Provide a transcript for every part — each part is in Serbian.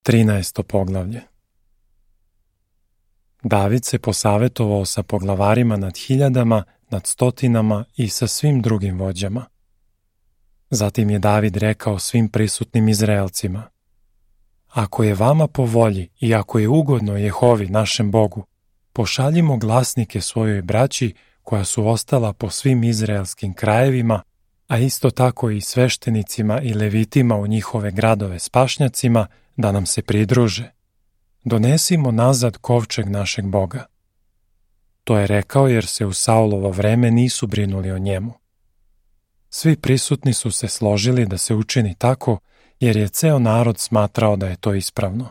13. poglavlje. David se posavetovao sa poglavarima nad hiljadama, nad stotinama i sa svim drugim vođama. Zatim je David rekao svim prisutnim Izraelcima: Ako je vama po volji i ako je ugodno Jehovi našem Bogu, pošaljimo glasnike svojoj braći koja su ostala po svim izraelskim krajevima, a isto tako i sveštenicima i levitima u njihove gradove s pašnjacima, da nam se pridruže. Donesimo nazad kovčeg našeg Boga. To je rekao jer se u Saulovo vreme nisu brinuli o njemu. Svi prisutni su se složili da se učini tako, jer je ceo narod smatrao da je to ispravno.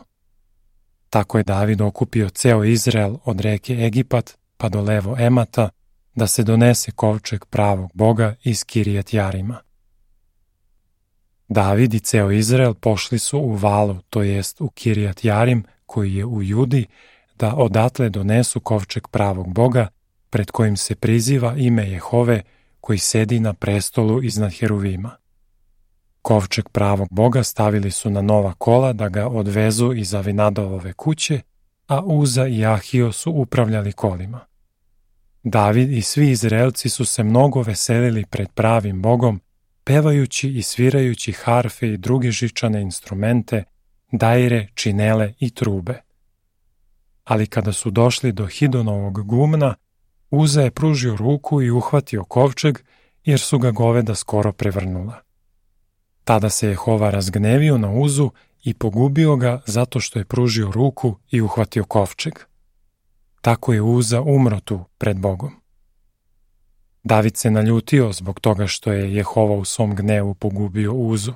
Tako je David okupio ceo Izrael od reke Egipat pa do levo Emata, da se donese kovčeg pravog Boga iz Kirijat Jarima. David i ceo Izrael pošli su u Valu, to jest u Kirijat Jarim, koji je u Judi, da odatle donesu kovčeg pravog Boga, pred kojim se priziva ime Jehove, koji sedi na prestolu iznad heruvima. Kovčeg pravog Boga stavili su na nova kola da ga odvezu iz Avinadovove kuće, a Uza i Ahio su upravljali kolima. David i svi Izraelci su se mnogo veselili pred pravim Bogom, pevajući i svirajući harfe i druge žičane instrumente, daire, činele i trube. Ali kada su došli do Hidonovog gumna, Uza je pružio ruku i uhvatio kovčeg, jer su ga goveda skoro prevrnula. Tada se Jehova razgnevio na Uzu i pogubio ga zato što je pružio ruku i uhvatio kovčeg. Tako je Uza umro tu pred Bogom. David se naljutio zbog toga što je Jehova u svom gnevu pogubio Uzu.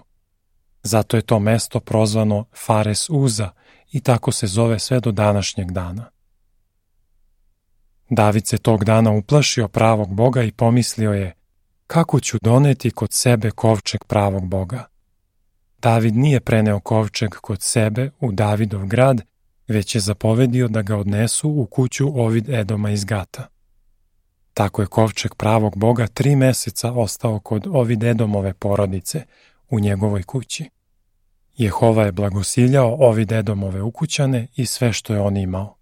Zato je to mesto prozvano Fares Uza i tako se zove sve do današnjeg dana. David se tog dana uplašio pravog Boga i pomislio je: kako ću doneti kod sebe kovčeg pravog Boga? David nije preneo kovčeg kod sebe u Davidov grad, već je zapovedio da ga odnesu u kuću Ovid Edoma iz Gata. Tako je kovčeg pravog Boga 3 meseca ostao kod Ovid Edomove porodice u njegovoj kući. Jehova je blagosiljao Ovid Edomove ukućane i sve što je on imao.